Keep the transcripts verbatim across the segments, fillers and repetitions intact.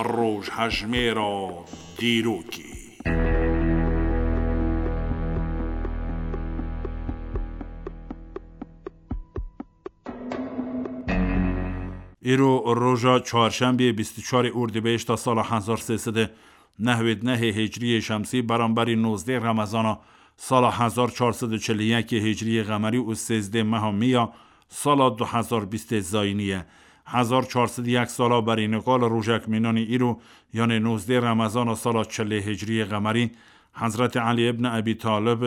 Rojhejmêra dîrokê. Îro roja çarşembiyê bîst û çarê Ordîbehişta sala hezar sê sed û nehwêd nehê Hicriyê Şemsî, beramberî nozdê Remezana sala hezar çar sed û çil û yekê Hicriyê Qemerî û sêzdê meha Mîya sala du hezar bîstê Zayînî ye. Hezar çar sed û yek sala berî nika li rojek mînanî îro, yanê nozdê Remezana sala çilê Hicriyê Qemerî, Hezretî Elî ibn Ebî Talib,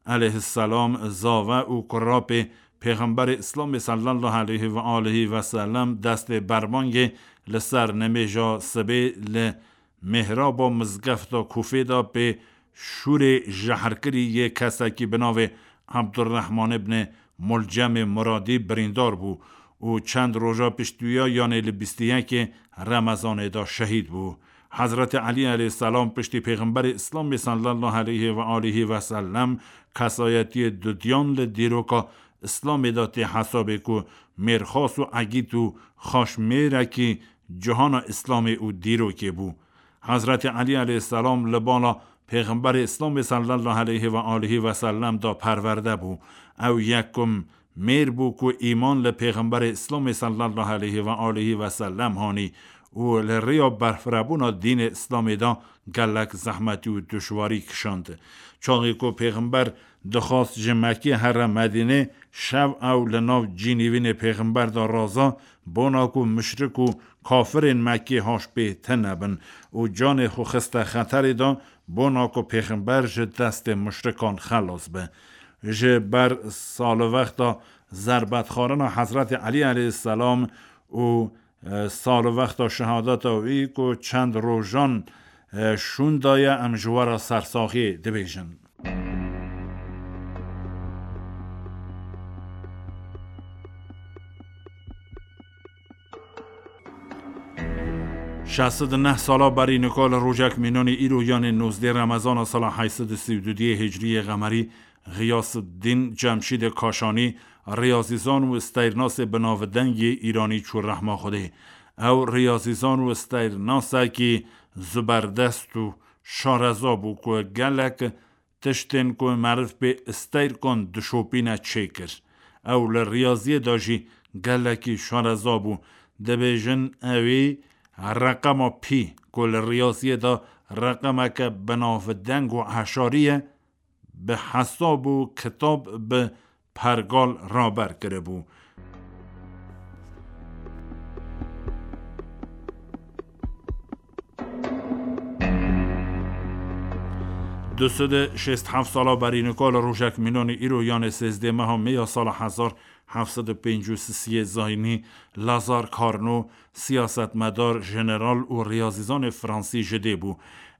eleyhisselam, zave û kurapê Pêxemberê Îslamê sallallahu aleyhi ve aleyhi ve sellem destê berbangê li ser nimêja sibê li mihraba mizgefta Kûfê de pê şûrê jehrkirî yê kesekî bi navê Abdurrahman ibn Mulcemê Muradî birîndar bû û çend roja pişt wîya, yanê li bîst û yekê Remezanê de şehîd bû. Hezretî Elî eleyhisselam piştî Pêxemberê Îslamê sallallahu aleyhi ve aleyhi ve sellem kesayetiyê dudiyan li dîroka Îslamê de tê hesabê ku mêrxas û egît û xaşmêrekî cihana Îslamê û dîrokê bû. Hezretî Elî eleyhisselam li bala Pêxemberê Îslamê sallallahu aleyhi ve aleyhi ve sellem de perwerde bû. Ew yekum mêr bû ku îman li Pêxemberê Îslamê sallallahu aleyhi ve aleyhi ve sellem hanî û li rêya berfirebûna dînê Îslamê de gelek zehmetî û duşwarî kişand. Çaxê ku Pêxember dixwast ji Mekkê here Medînê, şev ew li nav cînîvînê Pêxember de raza, bona ku muşrik û kafirên Mekkê haş pê tune bin û canê xwe xiste xeterê de, bona ku Pêxember ji destê muşrikan xelas be. Ji ber salivexta zerbetxwarina Hezretî Elî eleyhisselam û, e, salivexta şehadeta wî ku çend rojan, e, şûn daye, em ji we re sersaxiyê dibêjin. Şeş sed û neh sala berî nika li rojek mînanî îro, yanê nozdê Remezana sala heyt sed û sî û duyê Hicriyê Qemerî, Xiyasıddîn Cemşîdê Kaşanî, riyazîzan û steyrnasê binavdeng yê Îranî çû rehma Xwedê. Ew riyazîzan û steyrnasekî zuberdest û şareza bû ku gelek tiştên ku meriv pê steyr kon dişopîne çêkir. Ew li riyaziyê de jî gelekî şareza bû. Dibêjin ewî reqema pî ku li riyaziyê de reqemeke binavdeng û eşarî ye, bi hesab û kitab bi pergal raber kiribû. Du sed û şêst heft sala berî nika li rojek mînanî îro, yanê sêzdê meha Mê ya sala hezar heft sed û pêncî û sisiyê Zayînî, Lazar Carnot, siyasetmedar, jeneral û riyazîzanê fransî ji dê bû.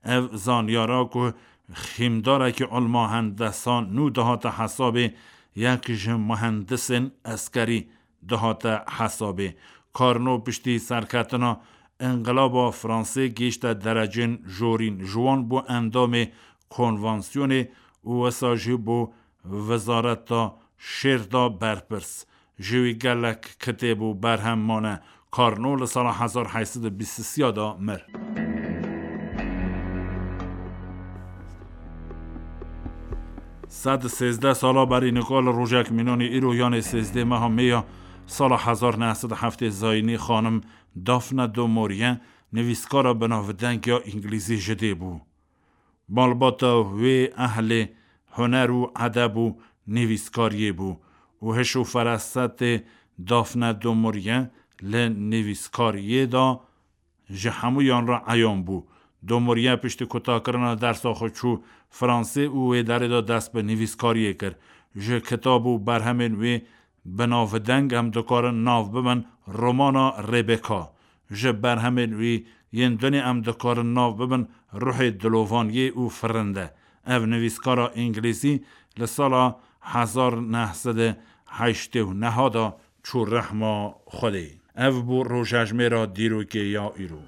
Ev zanyara ku xîmdarekî ilma hendesa nû dihate hesabê, yek ji muhendisên eskerî dihate hesabê. Carnot piştî serketina Înqilaba Fransê gihîşte derecên jorîn. Ji wan bû endamê konvansiyonê û wisa jî bû wezareta şêr de berpirs. Ji wî gelek kitêb û berhem mane. Carnot li sala hezar heyt sed û bîst û sê de mir. Sed û sêzdeh sala berî nika li rojek mînanî îro, yanê sêzdeh meha Mê ya sala hezar neh sed û heftê Zayînî, xanim Daphne du Maurier, nivîskara binavdeng ya îngilîzî ji dê bû. Malbata wê ehlê huner û edeb û nivîskariyê bû û hiş û ferasetê Daphne du Maurier li nivîskariyê de ji hemûyan re eyan bû. Du Maurier piştî kutakirina dersa xwe çû Fransê û wê derê de dest bi nivîskariyê kir. Ji kitab û berhemên wê binavdeng em dikarin nav bibin romana Rebecca. Ji berhemên wî yên dinê em dikarin nav bibin Ruhê Dilovaniyê û Firinde. Ev nivîskara îngilîzî li sala hezar neh sed û heştê û neh de çû rehma Xwedê. Ev bû rojejmêra dîrokê ya îro.